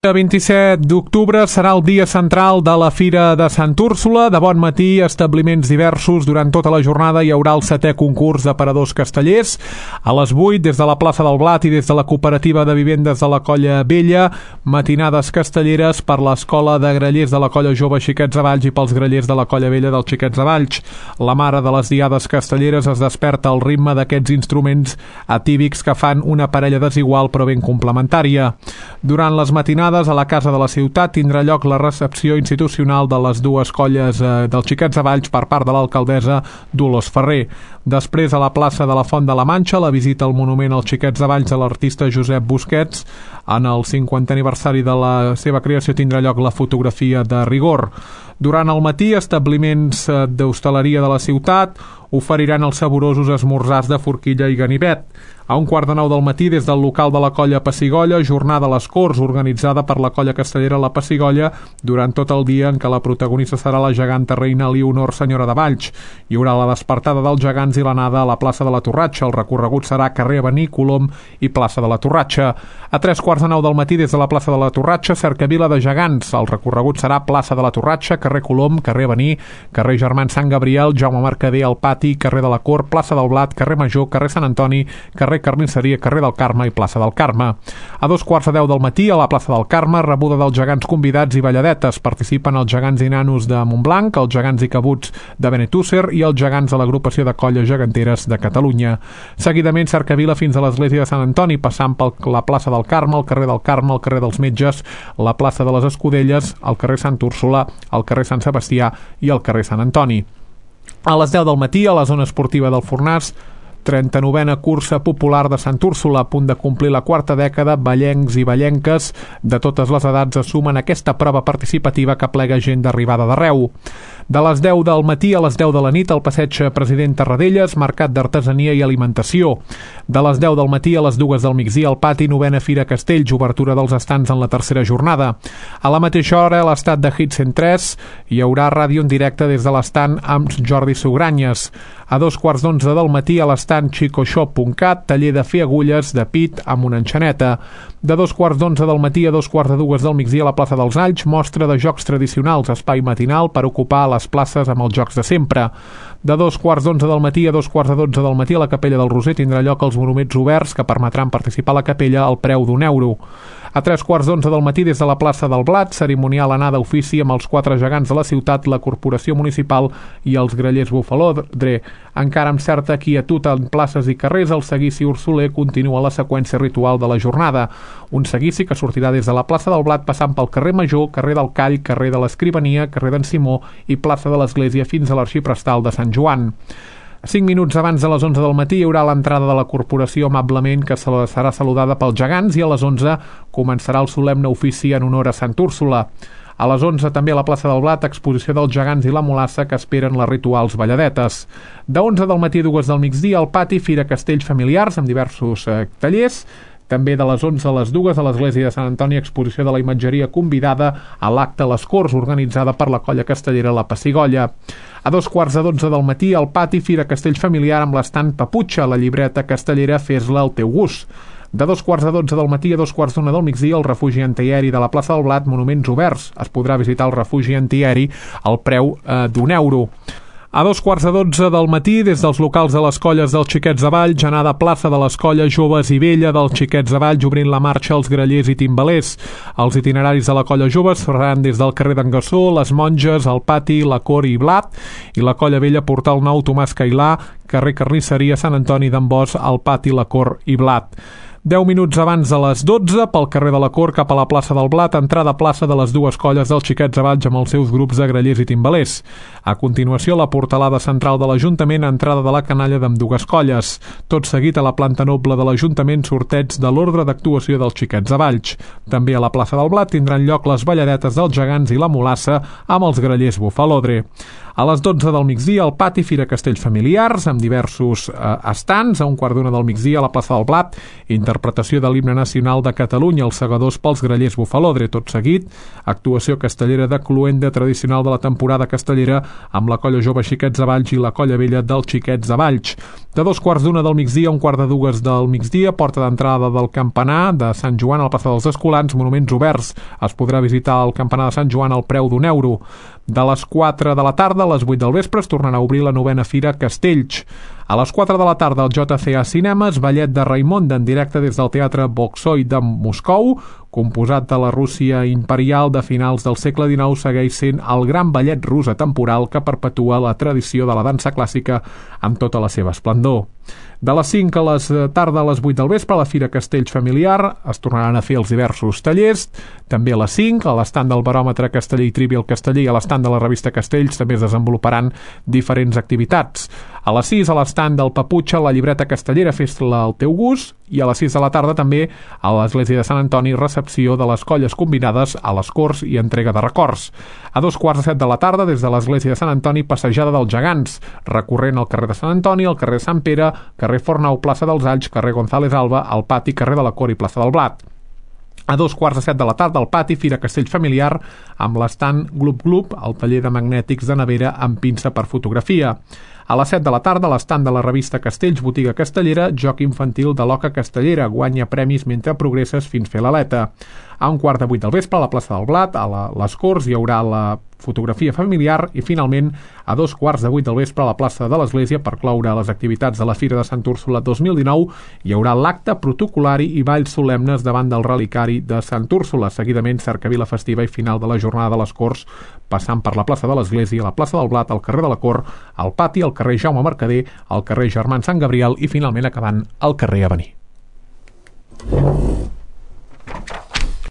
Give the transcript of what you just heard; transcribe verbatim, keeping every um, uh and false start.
El vint-i-set d'octubre serà el dia central de la Fira de Sant Úrsula. De bon matí, establiments diversos. Durant tota la jornada hi haurà el setè concurs d'aparadors castellers. A les vuit, des de la plaça del Blat i des de la cooperativa de vivendes de la Colla Vella, matinades castelleres per l'escola de grallers de la Colla Jove Xiquets de Valls i pels grallers de la Colla Vella dels Xiquets de Valls. La mare de les diades castelleres es desperta al ritme d'aquests instruments atípics que fan una parella desigual però ben complementària. Durant les matinades a la Casa de la Ciutat tindrà lloc la recepció institucional de les dues colles eh, dels Xiquets de Valls per part de l'alcaldessa Dolors Ferrer. Després, a la plaça de la Font de la Manxa, la visita al monument als Xiquets de Valls de l'artista Josep Busquets. En el cinquantè aniversari de la seva creació tindrà lloc la fotografia de rigor. Durant el matí, establiments d'hostaleria de la ciutat oferiran els saborosos esmorzars de forquilla i ganivet. A un quart de nou del matí, des del local de la Colla Pessigolla, jornada a les Corts, organitzada per la Colla Castellera La Pessigolla, durant tot el dia en què la protagonista serà la geganta reina Leonor, senyora de Valls. Hi haurà la despertada dels gegants i l'anada a la plaça de la Torratxa. El recorregut serà carrer Avenir, Colom i plaça de la Torratxa. A tres quarts de nou del matí, des de la plaça de la Torratxa, cercavila de gegants. El recorregut serà plaça de la Torratxa, carrer Colom, carrer Avenir, carrer Germans Sant Gabriel, Jaume Mercader al Pati, carrer de la Cort, plaça del Blat, carrer Major, carrer Sant Antoni, carrer Carnisseria, carrer del Carme i plaça del Carme. A dos quarts de deu del matí, a la plaça del Carme, rebuda dels gegants convidats i balladetes. Participen els gegants i nanos de Montblanc, els gegants i cabuts de Benetússer i els gegants de l'agrupació de colles geganteres de Catalunya. Seguidament, cercavila fins a l'església de Sant Antoni, passant per la plaça del Carme, el carrer del Carme, el carrer dels Metges, la plaça de les Escudelles, el carrer Sant Úrsula, el carrer Sant Sebastià i el carrer Sant Antoni. A les deu del matí, a la zona esportiva del Fornàs, trenta-novena cursa popular de Sant Úrsula, a punt de complir la quarta dècada. Vallencs i vallenques de totes les edats es sumen a aquesta prova participativa que plega gent d'arribada d'arreu. De les deu del matí a les deu de la nit, al passeig President Tarradellas, mercat d'artesania i alimentació. De les deu del matí a les dues del migdia, al pati, novena Fira Castells, obertura dels estants en la tercera jornada. A la mateixa hora, a l'estat de Hit cent tres, hi haurà ràdio en directe des de l'estant amb Jordi Sugranyes. A dos quarts d'onze del matí, a l'estant xicoshop punt cat, taller de fer agulles de pit amb una enxaneta. De dos quarts d'onze del matí a dos quarts de dues del migdia, a la plaça dels Alls, mostra de jocs tradicionals, espai matinal per ocupar les places amb els jocs de sempre. De dos quarts d'onze del matí a dos quarts de dotze del matí, a la Capella del Roser tindrà lloc els monuments oberts que permetran participar a la capella al preu d'un euro. A tres quarts d'onze del matí, des de la plaça del Blat, cerimonial anada a ofici amb els quatre gegants de la ciutat, la corporació municipal i els grallers Bufalodre. Encara amb certa quietud en places i carrers, el seguici ursuler continua la seqüència ritual de la jornada. Un seguici que sortirà des de la plaça del Blat passant pel carrer Major, carrer del Call, carrer de l'Escrivania, carrer d'en Simó i plaça de l'Església fins a l'Arxiprestal de Sant Joan. Cinc minuts abans de les onze del matí hi haurà l'entrada de la corporació amablement que serà saludada pels gegants i a les onze començarà el solemne ofici en honor a Sant Úrsula. A les onze també a la plaça del Blat, exposició dels gegants i la mulassa que esperen les rituals balladetes. De onze del matí a dues del migdia al pati, Fira Castells familiars amb diversos eh, tallers. També de les onze a les dues a l'església de Sant Antoni, exposició de la imatgeria convidada a l'acte a les Corts, organitzada per la Colla Castellera La Pessigolla. A dos quarts de dotze del matí, al pati, Fira Castells familiar amb l'estant Paputxa, la llibreta castellera Fes-la al teu gust. De dos quarts de dotze del matí a dos quarts d'una del migdia, el refugi antiaeri de la plaça del Blat, monuments oberts. Es podrà visitar el refugi antiaeri al preu eh, d'un euro. A dos quarts de dotze del matí, des dels locals de les colles dels Xiquets de Valls, anada a plaça de les colles Joves i Vella dels Xiquets de Valls, obrint la marxa als grallers i timbalers. Els itineraris de la colla Joves faran des del carrer d'en Gassó, les Monges, el Pati, la Cor i Blat, i la colla Vella, Portal Nou, Tomàs Cailà, carrer Carnisseria, Sant Antoni d'en Bos, el Pati, la Cor i Blat. Deu minuts abans de les dotze, pel carrer de la Cort cap a la plaça del Blat, entrada a plaça de les dues colles dels Xiquets de Valls amb els seus grups de grallers i timbalers. A continuació, la portalada central de l'Ajuntament, entrada de la canalla d'ambdues colles. Tot seguit, a la planta noble de l'Ajuntament, sorteig de l'ordre d'actuació dels Xiquets de Valls. També a la plaça del Blat tindran lloc les balladetes dels gegants i la mulassa amb els grallers Bufalodre. A les dotze del migdia, al pati, Fira Castells Familiars, amb diversos eh, estants. A un quart d'una del migdia, a la plaça del Blat, interpretació de l'himne nacional de Catalunya, els segadors pels grallers Bufalodre. Tot seguit, actuació castellera de cloenda tradicional de la temporada castellera amb la colla jove Xiquets de Valls i la colla vella dels Xiquets de Valls. De dos quarts d'una del migdia a un quart de dues del migdia, porta d'entrada del campanar de Sant Joan a la plaça dels Escolans, monuments oberts. Es podrà visitar el campanar de Sant Joan al preu d'un euro. De les quatre de la tarda a les vuit del vespre es tornarà a obrir la novena Fira Castells. A les quatre de la tarda al J C A Cinemes, ballet de Raimonda en directe des del Teatre Bolxoi de Moscou, composat de la Rússia imperial de finals del segle dinou, segueix sent el gran ballet rus atemporal que perpetua la tradició de la dansa clàssica amb tota la seva esplendor. De les cinc a les tarda a les vuit del vespre, a la Fira Castells Familiar es tornaran a fer els diversos tallers. També a les cinc, a l'estand del Baròmetre Casteller i Trivial Casteller i a l'estand de la revista Castells també es desenvoluparan diferents activitats. A les sis, a l'estand del Paputxa, la llibreta castellera Fes-la al teu gust, i a les sis de la tarda també a l'església de Sant Antoni, recepció de les colles combinades a les Corts i entrega de records. A dos quarts de set de la tarda, des de l'església de Sant Antoni, passejada dels gegants, recorrent el carrer de Sant Antoni, el carrer de Sant Pere, carrer Fornau, plaça dels Alls, carrer González Alba, al pati, carrer de la Cor i plaça del Blat. A dos quarts de set de la tarda al pati, Fira Castells Familiar, amb l'estant Glup Glup, el taller de magnètics de nevera amb pinça per fotografia. A les set de la tarda, a l'estand de la revista Castells, botiga castellera, joc infantil de l'Oca Castellera, guanya premis mentre progresses fins fer l'aleta. A un quart de vuit del vespre, a la plaça del Blat, a la, les Corts, hi haurà la fotografia familiar i, finalment, a dos quarts de vuit del vespre, a la plaça de l'Església, per cloure les activitats de la Fira de Sant Úrsula dos mil dinou, hi haurà l'acte protocolari i balls solemnes davant del relicari de Sant Úrsula. Seguidament, cercavila festiva i final de la jornada de les Corts, passant per la plaça de l'Església, la plaça del Blat, el carrer de la Cor, el pati, el carrer Jaume Mercader, el carrer Germans Sant Gabriel i, finalment, acabant al carrer Avenir.